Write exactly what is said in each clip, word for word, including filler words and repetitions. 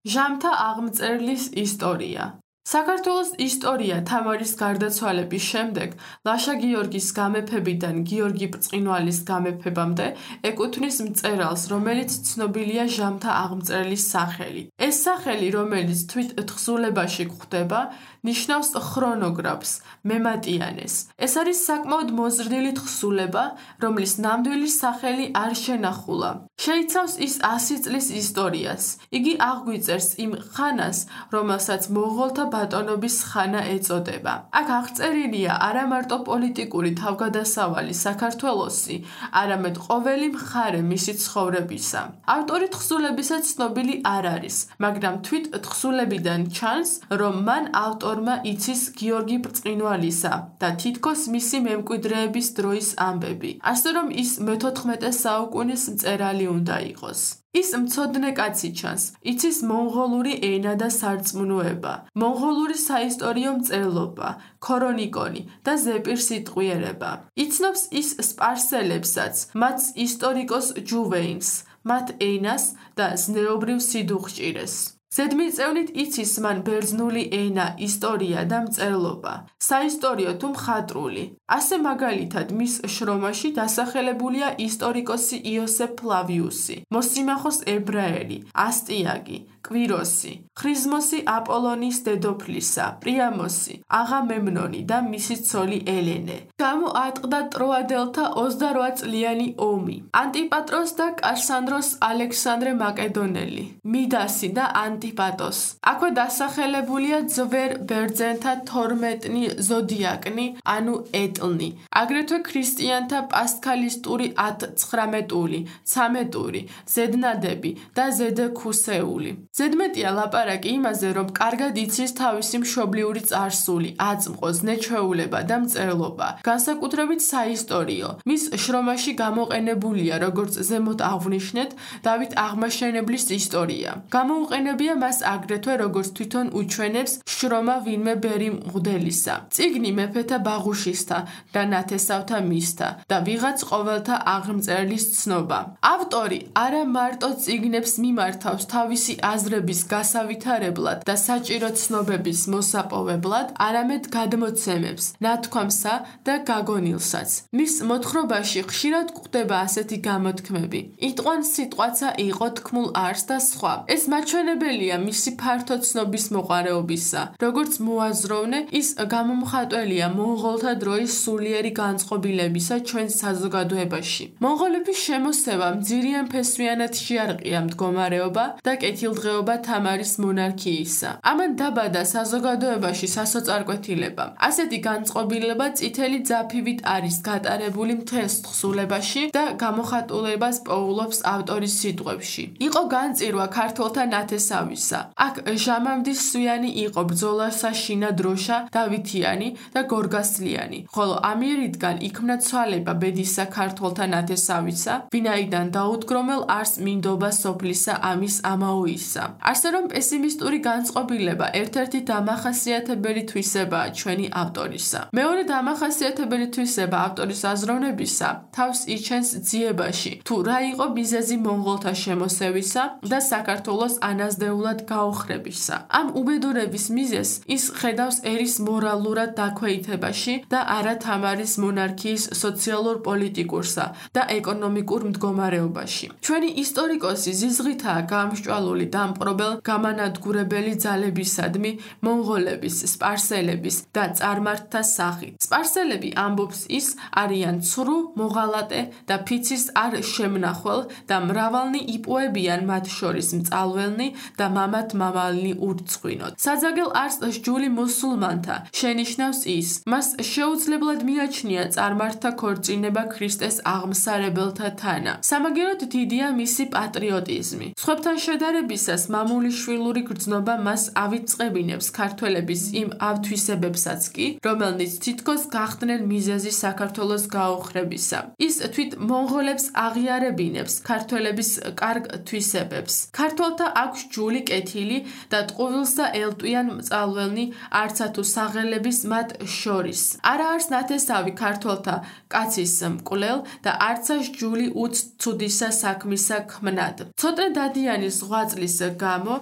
ჟამთა აღმწერლის ისტორია. საქართველოს ისტორია თამარის გარდაცვალების შემდეგ ლაშა გიორგის გამეფებიდან გიორგი ბრწყინვალის გამეფებამდე ეკუთვნის მწერალს, რომელიც ცნობილია ჟამთა აღმწერლის სახელი. ეს სახელი, რომელიც თვით თხზულებაში გვხვდება, ნიშნავს ხრონოგრაფს, მემატიანეს. ეს არის საკმაოდ მოზრდილი თხზულება, რომლის ნამდვილი სახელი არ შენახულა. შეიცავს ის ასი წლის ისტორიას. იგი აღგვიწერს იმ ხანას, რომელსაც მონღოლთა ბატონობის ხანა ეწოდება. აქ აღწერილია არა მარტო პოლიტიკური თავგადასავალი საქართველოსი, არამედ ყოველი მხარე მისი ცხოვრებისა. ავტორი თხზულებისა ცნობილი არ არის, მაგრამ თვით თხზულებიდან ჩანს, რომ მან ავტორმა იცის გიორგი ბრწყინვალისა და თითქოს მისი მემკვიდრეების დროის ამბები, ასე რომ ის მეთოთხმეტე საუკუნის მწერალი უნდა იყოს. ის მცოდნე კაცი ჩანს, იცის მონღოლური ენა და სარწმუნოება, მონღოლური საისტორიო მწერლობა, ქორონიკონი და ზეპირსიტყვიერება. იცნობს ის სპარსელებსაც, მათ ისტორიკოს ჯუვეინს, მათ ენას და ზნეობრივ სიდუხჭირეს. ზედმიწევნით იცის მან ბერძნული ენა, ისტორია და მწერლობა, საისტორიო თუ მხატვრული. ასე მაგალითად მის შრომაში დასახელებულია ისტორიკოსი იოსებ ფლავიუსი, მოსიმახოს ებრაელი, ასტიაკი, კვიროსი, ხრიზმოსი აპოლონის დედოფლისა, პრიამოსი, აღამემნონი და მისი ცოლი ელენე. გამოატყდა ტროადელთა ოცდარვა წლიანი ომი. ანტიპატროს და კასანდროს ალექსანდრე მაკედონელი, მიდასი და ანტიპატოს. აქვე დასახელებულია ძვერ ბერძენთა თორმეტნი ზოდიაკნი, ანუ ეტლნი. აგრეთვე ქრისტიანთა პასქალისტური ათცხრამეტული, ცამეტური, ზედნადები და ზედქუსეული. ზედმეტია ლაპარაკი იმაზე, რომ კარგად იცის თავისი მშობლიური წარსული, აწმყო, ზნე-ჩვეულება და მწერლობა, განსაკუთრებით საისტორიო. მის შრომაში გამოყენებულია, როგორც ზემოთ აღვნიშნეთ, დავით აღმაშენებლის ისტორია. გამოუყენებია მას აგრეთვე, როგორც თვითონ უჩვენებს შრომა ვინმე ბერი მღვდელისა, წიგნი მეფეთა ბაღუშისთა და ნათესავთა მისთა და ვიღაც ყოველთა აღმწერლის ცნობა. ავტორი არა მარტო წიგნებს მიმართავს თავისი აზრების გასავითარებლად და საჭირო ცნობების მოსაპოვებლად, არამედ გადმოცემებს, ნათქვამსა და გაგონილსაც. მის მოთხრობაში ხშირად გვხვდება ასეთი გამოთქმები: იტყვან სიტყვაცა იყო თქმულ არს და სხვა. ეს მაჩვენებელია მისი ფართო ცნობის მოყარეობისა. როგორც მოაზროვნე, ის გამომხატველია მონღოლთა დროის სულიერი განწყობილებისა ჩვენ საზოგადოებაში. მონღოლების შემოსევა მძირიან ფესვიანად შეარყია მდგომარეობა და კეთილდღეობა თამარის მონარქიისა. ამან დაბადა საზოგადოებაში სასოწარკვეთილება. ასეთი განწყობილება წითელი ძაფივით არის გატარებული მთელს თხზულებაში და გამოხატულებას პოულობს ავტორის სიტყვებში. იყო განწირვა ქართველთა ნათესავისა. აქ ჟამამდის სვიანი იყო ბრძოლასა შინა დროშა, დავითიანი და გორგასლიანი, ხოლო ამიერიდან იქმნა ცვალება ბედისა ქართველთა ნათესავისა, ვინაიდან დაუდგრომელ არს მინდობა სოფლისა ამის ამაოისა. ასე რომ პესიმისტური განწყობილება ერთ-ერთი დამახასიათებელი თვისებაა ჩვენი ავტორისა. მეორე დამახასიათებელი თვისება ავტორის აზროვნებისა თავს იჩენს ძიებაში, თუ რა იყო მიზეზი მონღოლთა შემოსევისა და საქართველოს ანაზდეულად გაოხრებისა. ამ უბედურების მიზეზს ის ხედავს ერის მორალურად დაქვეითებაში და არა თამარის მონარქიის სოციალურ-პოლიტიკურსა და ეკონომიკურ მდგომარეობაში. ჩვენი ისტორიკოსი ზიზღითაა გამსჭვალული დამპყრობელ გამანადგურებელი ძალებისადმი მონღოლების, სპარსელების და წარმართთა სახით. სპარსელები, ამბობს ის, არიან ცრუ, მოღალატე და ფიცის არ შემნახველ და მრავალნი იპოებიან მათ შორის მწალველნი და მამათ მამალნი ურცხვინოთ. საძაგელ არს სჯული მუსულმანთა შენიშნავს ის, მას შეუძლებლად მიაჩნია წარმართთა ქორწინება ქრისტეს აღმსარებელთა თანა. სამაგეროდ დიდია მისი პატრიოტიზმი. სხვებთან შედარებისას მამულიშვილური გრძნობა მას ავიწყებინებს ქართველების იმ ავთვისებებსაც კი, რომელნიც თითქოს გახდნენ მიზეზი საქართველოს გაოხრებისა. ის თვით მონღოლებს აღიარებინებს ქართველების კარგ თვისებებს. ქართველთა აქვს ჯული კეთილი და ტყუვილსა ელტვიან მწალველნი არცა თუ საღელების მათ შორის. არა არს ნათესავი ქართველთა კაცის მკვლელ და არცა ჯული უც ცუდისა საქმისა ქმნად. ცოტნე დადიანი ზღვა წლის გამო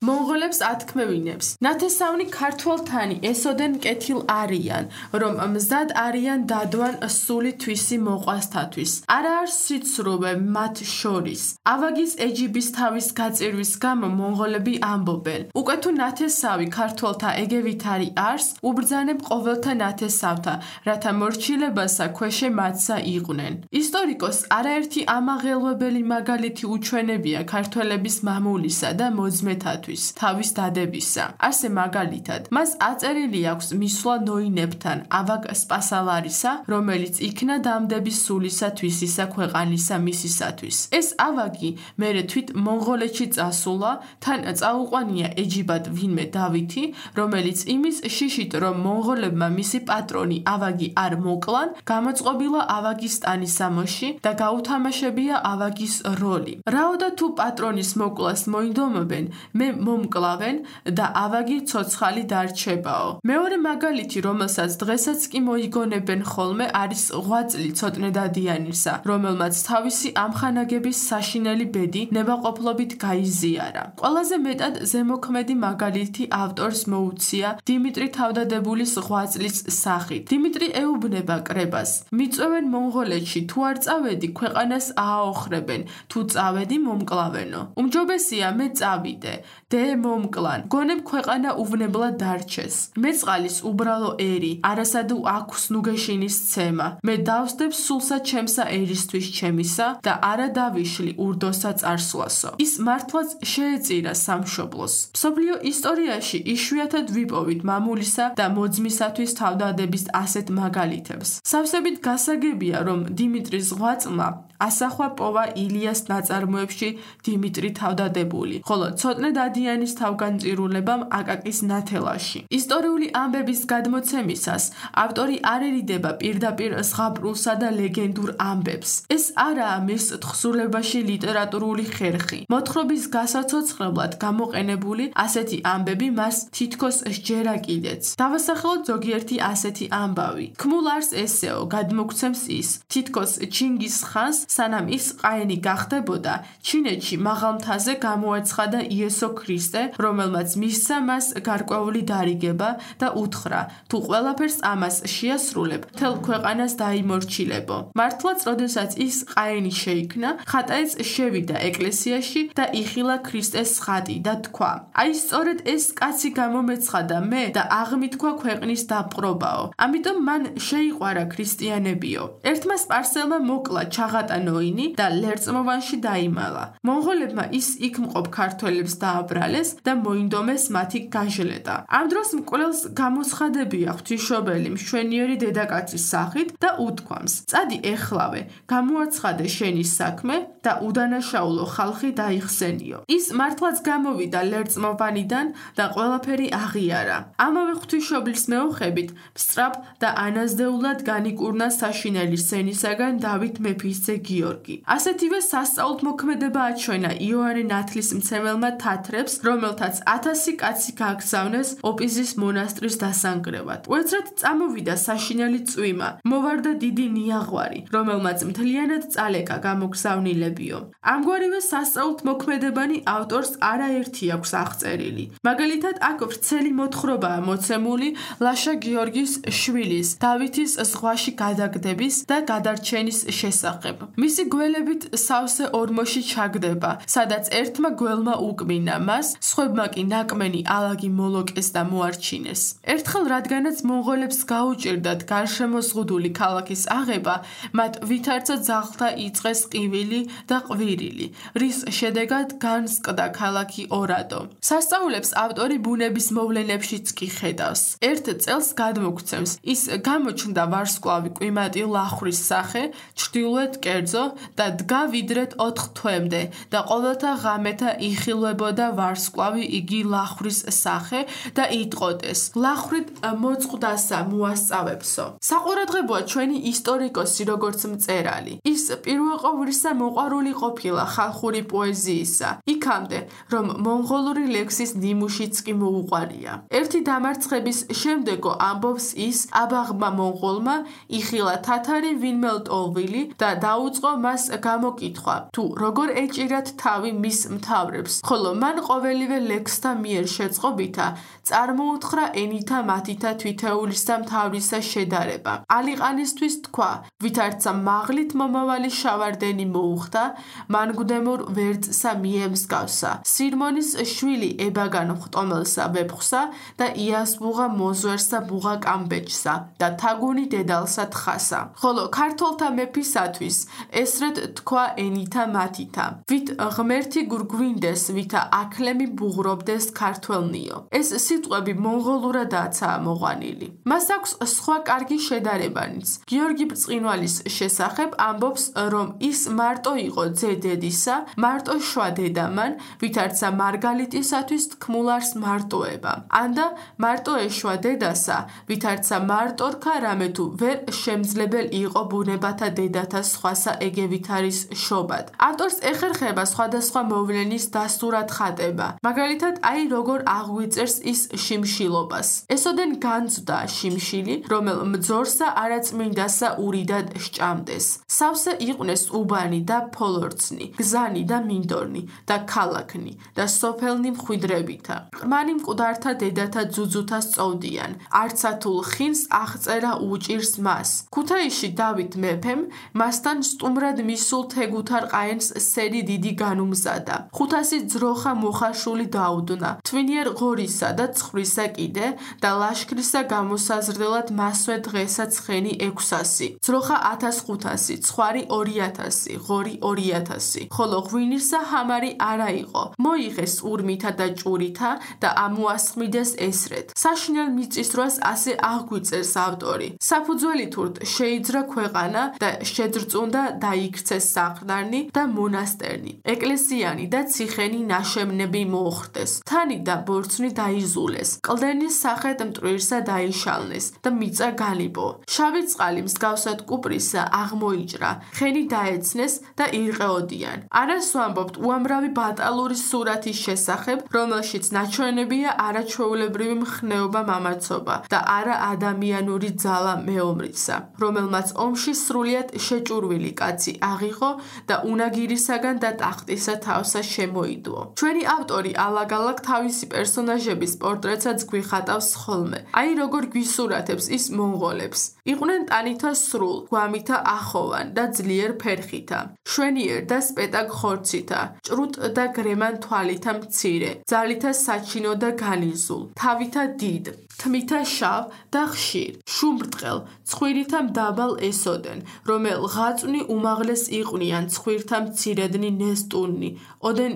მონღოლებს ათქმევინებს. ნათესავნი ქართველთანი ესოდენ კეთილ არიან, რომ მზად არიან დადვან სული თვისი მოყვასთათვის. არა არის სიცრუვე მათ შორის. ავაგის ეჯიბის თავის გაწირვის გამო მონღოლები ამბობენ. უკვე თუ ნათესავი ქართველთა ეგევითარი არს, უბრძანებ ყოველთა ნათესავთა, რათა მორჩილებასა ქვეშე მათსა იყვნენ. ისტორიკოს არაერთი ამაღელვებელი მაგალითი უჩვენებია ქართველების მამულისა და მოძმეთათვის თავის დადებისა. ასე მაგალითად, მას აწერილი აქვს მისვლა ნოინებთან ავაგ სპასალარისა, რომელიც იქნა დამდების სულისა თვისისა ქვეყანისა მისისათვის. ეს ავაგი მერე თვით მონღოლეთში წასულა, თან წაუყვანია ეჯიბად ვინმე დავითი, რომელიც იმის შიშით, რომ მონღოლებმა მისი პატრონი ავაგი არ მოკლან, გამოწყობილა ავაგის ტანისამოში და გაუთამაშებია ავაგის როლი. რაოდა თუ პატრონის მოკლას მოინდომებენ, მე მომკლავენ და ავაგი ცოცხალი დარჩებაო. მეორე მაგალითი, რომელსაც დღესაც კი მოიგონებენ ხოლმე, არის ღვაწლი ცოტნე დადიანისა, რომელმაც თავისი ამხანაგების საშინელი ბედი ნებაყოფლობით გაიზიარა. ყველაზე მეტად ზემოქმედი მაგალითი ავტორს მოუცია დიმიტრი თავდადებულის ღვაწლის სახით. დიმიტრი ეუბნება კრებას: მიწვევენ მონღოლეთში, თუ არ წავედი, ქვეყანას ააოხრებენ, თუ წავედი, მომკლავენო. უმჯობესია მე წავიდე, დე მომკლან, გონებ ქვეყანა უვნებლად დარჩეს. მეწყალის უბრალო ერი, არასადუ აქვს ნუგეშინის ცემა. მე დავსდებ სულსა ჩემსა ერისთვის ჩემისა და არა დავიშლი ურდოსა წარსვლასო. ის მართლაც შეეწირა სამშობლოს. მსოფლიო ისტორიაში იშვიათად ვიპოვით მამულისა და მოძმისათვის თავდადების ასეთ მაგალითებს. სავსებით გასაგებია, რომ დიმიტრის ღვაწლმა ასახვა პოვა ილიას ნაწარმოებში დიმიტრი თავდადებული, ხოლო ცოტნე დადიანის თავგანწირულებამ აკაკის ნათელაში. ისტორიული ამბების გადმოცემისას ავტორი არ ერიდება პირდაპირ ზღაპრულსა და ლეგენდურ ამბებს. ეს არაა მის თხზულებაში ლიტერატურული ხერხი. მოთხრობის გასაცოცხლებლად გამოყენებული ასეთი ამბები მას თითქოს სჯერა კიდეც. დავასახელოთ ზოგიერთი ასეთი ამბავი. ქმულ არს ესეო, გადმოგცემს ის, თითქოს ჩინგის ხანს, სანამ ის ყაენი გახდებოდა, ჩინეთში მაღალ მთაზე გამოაცხადა იესო ქრისტე, რომელმაც მისცა მას გარკვეული დარიგება და უთხრა, თუ ყველაფერს ამას შეასრულებ, მთელ ქვეყანას დაიმორჩილებო. მართლაც, როდესაც ის ყაენი შეიქმნა, ხატაეც შევიდა ეკლესიაში და იხილა ქრისტეს ხატი და თქვა: აი სწორედ ეს კაცი გამომეცხადა მე და აღმითქვა ქვეყნის დაპყრობაო. ამიტომ მან შეიყვარა ქრისტიანებიო. ერთმა სპარსელმა მოკლა ჩაღატა ნოინი და ლერწმოვანში დაიმალა. მონღოლებმა ის იქ მყოფ ქართველებს დააბრალეს და მოინდომეს მათი გაჟლეტა. ამ დროს მკვლელს გამოსხადებია ღვთისმშობელი მშვენიერი დედაკაცის სახით და უთქვამს: წადი ეხლავე, გამოაცხადე შენი საქმე და უდანაშაულო ხალხი დაიხსენიო. ის მართლაც გამოვიდა ლერწმოვანიდან და ყველაფერი აღიარა. ამავე ღვთისმშობლის მეოხებით სწრაფ და ანაზდეულად განიკურნა საშინელი სენისაგან დავით მეფისძე გიორგი. ასეთივე სასწაულთ მოქმედება აჩვენა იოანე ნათლისმცემელმა თათრებს, რომელთაც ათასი კაცი გააგზავნეს ოპიზის მონასტრის დასანგრევად. უეცრად წამოვიდა საშინელი წვიმა, მოვარდა დიდი ნიაღვარი, რომელმაც მთლიანად წალეკა გამოგზავნილებიო. ამგვარივე სასწაულთ მოქმედებანი ავტორს არაერთი აქვს აღწერილი. მაგალითად, აქ ვრცელი მოთხრობაა მოცემული ლაშა გიორგის შვილის დავითის ზღვაში გადაგდების და გადარჩენის შესახებ. მისი გველებით სავსე ორმოში ჩაგდება, სადაც ერთმა გველმა უკმინა მას, სხვებმა კი ნაკმენი ალაგი მოლოკეს და მოარჩინეს. ერთხელ, რადგანაც მონღოლებს გაუჭირდათ გარშემოზღუდული ქალაქის აღება, მათ ვითარცა ძაღლთა იწყეს ყივილი და ყვირილი, რის შედეგად განსკდა ქალაქი ორადო. სასწაულებს ავტორი ბუნების მოვლენებშიც კი ხედავს. ერთ წელს გადმოგცემს, ის გამოჩნდა ვარსკვლავი კვიმატი ლახვრის სახე, ჩრდილოეთ კერძო და დგა ვიდრეთ ოთხ თვემდე და ყოველთა ღამეთა იხილვებოდა ვარსკვლავი იგი ლახვრის სახე და იტყოდეს: ლახვით მოწყდასა მოასწავებსო. საყურადღებოა ჩვენი ისტორიკოსი როგორც მწერალი. ის პირველყოვლისა მოყვარული ყოფილა ხალხური პოეზიისა, იქამდე, რომ მონღოლური ლექსის ნიმუშიც კი მოუყვარია. ერთ ერთი დამარცხების შემდეგო ამბობს ის აბაღმა მონღოლმა იხილა თათარი ვინმე ლტოლვილი და დაუწყო მას გამოკითხვა თუ როგორ ეჭირათ თავი მის მთავრებს, ხოლო მან ყოველივე ლექსთა მიერ შეწყობითა წარმოუთხრა ენითა მათითა თვითეულისა მთავრისა შედარება. ალიყანისთვის თქვა, ვითარცა მაღლით მომავალი შავარდენი მოუხდა, მანგუდემურ ვერწსა მიემსგავსა. სირმონის შვილი ებაგან ხტომელსა ვეფხვსა და იასბუღა მოზვერსა ბუღა კამბეჭსა და თაგუნი დედალსა თხასა. ხოლო ქართველთა მეფისათვის ესრეთ თქვა ენითა მათითა. ვით ღმერთი გურგვინდეს, ვითა აქლემი ბუღრობდეს ქართველნიო. ეს სიტყვები მონღოლურადაცაა მოყვანილი. მას აქვს სხვა კარგი შედარებანიც. გიორგი ბრწყინვალის შესახებ ამბობს, რომ ის მარტო იყო ძე დედისა, მარტო შვა დედამან, ვითარცა მარგალიტისათვის თქმულარს მარტოება. ანდა მარტო ეშვა დედასა, ვითარცა მარტორქა რამე თუ ვერ შემძლებელი იყო ბუნებათა დედათა სხვასა ეგევით არის შობად. ავტორს ეხერხება სხვადასხვა მოვლენის დასტურად ხატება. მაგალითად, აი როგორ აღვიწერს ის შიმშილობას. ესოდენ განძდა შიმშილი, რომელ მძორსა არაწმინდასა ურიდად სჭამდეს. სავსე იყვნენ უბანი და ფოლორცნი, გზანი და მინდორნი და ქალაქნი და სოფელნი მხვიდრებითა. ყრმანი მკვდართა დედათა ძუძუთა სწოვდიან. არცათულ ხინს აღწერა უჭირს მას. ქუთაისში დავით მეფემ მასთან სტუმრად მისულ თეგუთარ ყაენს სერი დიდი განუმზადა. ხუთასი ძროხა მოხაშული დაუდნა. თვინიერ ღორისა და ცხრისა კიდე და ლაშქრისა გამოსაზრდელად მასვე დღესა ცხენი ექვსასი. ძროხა ათას ხუთასი, ცხვარი ორი ათასი, ღორი ორი ათასი. ხოლო ღვინირსა ჰამარი არა იყო. მოიღეს ურმითა და ჭურითა და ამოასხმიდეს ესრეთ. საშინელ მიწისძვრას ასე აღგვიწერს ავტორი. საფუძველი თურთ შეიძრა ქვეყანა და შეძრწუნდა დაიქცეს საყდარნი და მონასტერნი. ეკლესიანი და ციხენი ნაშემნები მოუხდეს. თანი და ბორცვი დაიზულეს. კლდენის სახეთ მტვირსა დაიშალნეს და მიწა განიბო. შავი წყალი მსგავსად კუპრისა აღმოიჭრა. ხენი დაეცნეს და ირყეოდიან. არას ვამბობთ უამრავი ბატალური სურათის შესახებ, რომელშიც ნაჩვენებია არაჩვეულებრივი მხნეობა მამაცობა და არა ადამიანური ძალა მეომრისა, რომელმაც ომში სრულიად შეჭურვილი კაცი აღიღო და უნაგირისაგან და ტახტისა თავსა შემოიდუო. ჩვენი ავტორი ალაგ-ალაგ თავისი პერსონაჟების პორტრეტსაც გვიხატავს ხოლმე. აი როგორ გვისურათებს ის მონღოლებს. იყვნენ ტანითა სრულ, გვამითა ახოვან და ძლიერ ფერხითა, შვენიერ და სპეტაკ ხორცითა, ჭრუტ და გრემან თვალითა მცირე, ძალითა საჩინო და განიზულ, თავითა დიდ, თმითა შავ და ხშირ, შუმბრტყელ, ცხვირითა მდაბალ ესოდენ, რომელ ღაწვნი უმაღლეს იყვნიან ცხვირთა მცირედნი ნესტუნნი, ოდენ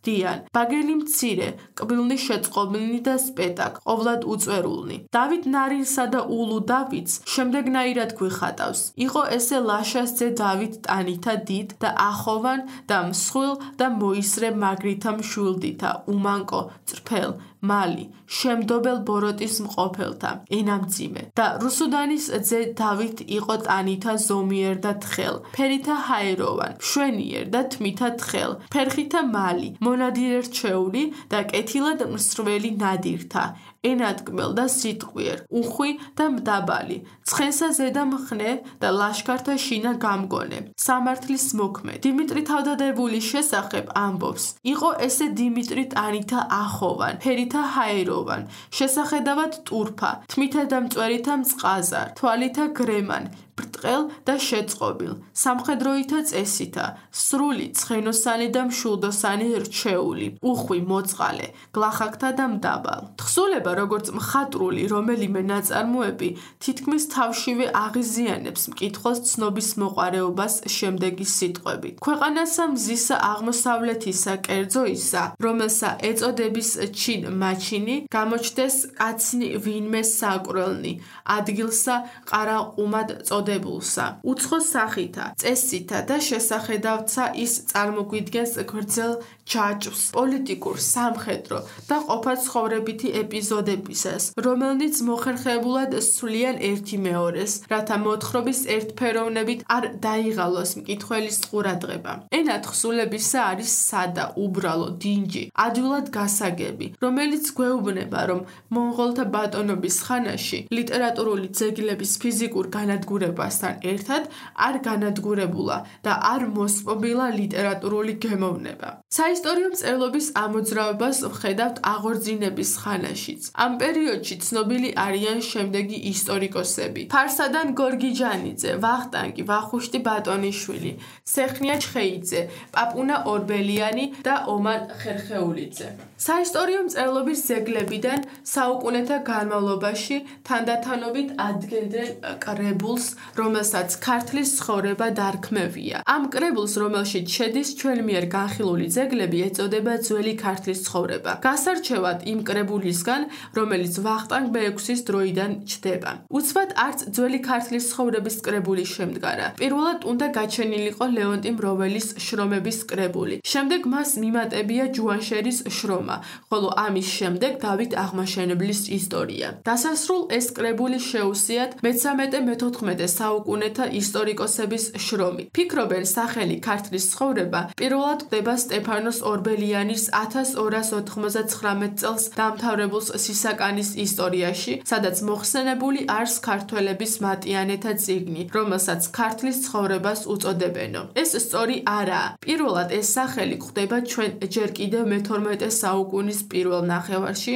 დიან, ბაგელი მცირე, კბილნი შეწყობილნი და სპეტაკ, ყოვლად უწვერულნი. დავით ნარინსა და ულუ დავითს შემდეგნაირად გვიხატავს. იყო ესე ლაშას ძე დავით ტანითა დიდ და ახოვან და მსხვილ და მოისრე მაგრითა მშვილდითა, უმანკო, წრფელ, მალი, შემდობელ ბოროტის მყოფელთა, ენამძიმე და რუსუდანის ძე დავით იყო ტანითა ზომიერ და თხელ, ფერითა ჰაეროვან, მშვენიერ და თმითა თხელ, ფერხითა მალი, მონადირე რჩეული და კეთილად მსრველი ნადირთა, ენადგმელ და სიტყვიერ, უხვი და მდაბალი, ცხენსა ზედა მხნე და ლაშქართა შინა გამგონე, სამართლის მოქმედ. დიმიტრი თავდადებულის შესახებ ამბობს, იყო ესე დიმიტრი ტანითა ახოვან, ფერითა ჰაეროვან, შესახედავად ტურფა, თმითა და მწვერითა მწყაზარ, თვალითა გრემან, ბრტყელ და შეწყობილ, სამხედროითა წესითა, სრული, ცხენოსანი და მშულდოსანი რჩეული, უხვი, მოწყალე, გლახაკთა და მდაბალ. თხზულება, როგორც მხატვრული რომელიმე ნაწარმოები, თითქმის თავშივე აღიზიანებს მკითხველს ცნობის მოყარეობას შემდეგი სიტყვებით. ქვეყანასა მზისა აღმოსავლეთისა კერძოისა, რომელსა ეწოდების ჩინ მაჩინი, გამოჩდეს კაცნი ვინმე საკვრელნი, ადგილსა ყარაყუმად წოდებულსა. უცხო სახითა, წესითა და შესახედავცა ის წარმოგვიდგენს გრძელ ჯაჭვს, პოლიტიკურ, სამხედრო და ყოფაცხოვრებითი ეპიზოდებისას, რომელნიც მოხერხებულად სვლიან ერთი მეორეს, რათა მოთხრობის ერთფეროვნებით არ დაიღალოს მკითხველის ყურადღება. ენა თხზულებისა არის სადა, უბრალო, დინჯი, ადვილად გასაგები, რომელიც გვეუბნება, რომ მონღოლთა ბატონობის ხანაში ლიტერატურული ძეგლების ფიზიკურ განადგურებასთან ერთად არ განადგურებულა და არ მოსპობილა ლიტერატურული გემოვნება. საისტორიო მწერლობის ამოძრავებას ვხედავთ აღორძინების ხანაშიც. ამ პერიოდში ცნობილი არიან შემდეგი ისტორიკოსები: ფარსადან გორგიჯანიძე, ვახტანგი, ვახუშტი ბატონიშვილი, სეხნია ჩხეიძე, პაპუნა ორბელიანი და ომარ ხერხეულიძე. საისტორიო მწერლობის ძეგლებიდან საუკუნეთა განმავლობაში თანდათანობით ადგენდნენ კრებულს, რომელსაც ქართლის ცხოვრება დარქმევია. ამ კრებულს, რომელშიც შედის ჩვენ მიერ განხილული ძეგლები, ეწოდება ძველი ქართლის ცხოვრება. გასარჩევად იმ კრებულისგან, რომელიც ვახტანგ მეექვსის დროიდან ჩდება. უცბად არც ძველი ქართლის ცხოვრების კრებული შემდგარა. პირველად უნდა გაჩენილიყო ლეონტი მროველის შრომების კრებული. შემდეგ მას მიმატებია ჯუანშერის შრომა, ხოლო ამის შემდეგ დავით აღმაშენებლის ისტორია. დასასრულ ეს კრებული შეუსიათ მეთორმეტე-მეთოთხმეტე საუკუნეთა ისტორიკოსების შრომით. ფიქრობენ, სახელი ქართლის ცხოვრება პირველად გვხვდება სტეფანოს ორბელიანის ათას ორას ოთხმოცდათხრამეტ წელს დამთავრებულ სისაკანის ისტორიაში, სადაც მოხსენებული არის ქართველების მატიანეთა წიგნი, რომელსაც ქართლის ცხოვრებას უწოდებენო. ეს სწორი არაა. პირველად ეს სახელი გვხვდება ჩვენ ჯერ კიდევ მეთორმეტე საუკუნის პირველ ნახევარში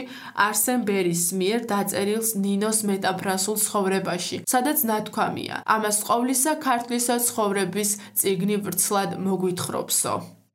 არსენ ბერის მიერ დაწერილ ნინოს მეტაფრასულ ცხოვრებაში, სადაც ნათქვამია: ამას ყოვლისა ქართლისა ცხოვრების წიგნი ვრცლად მოგვითხრობსო.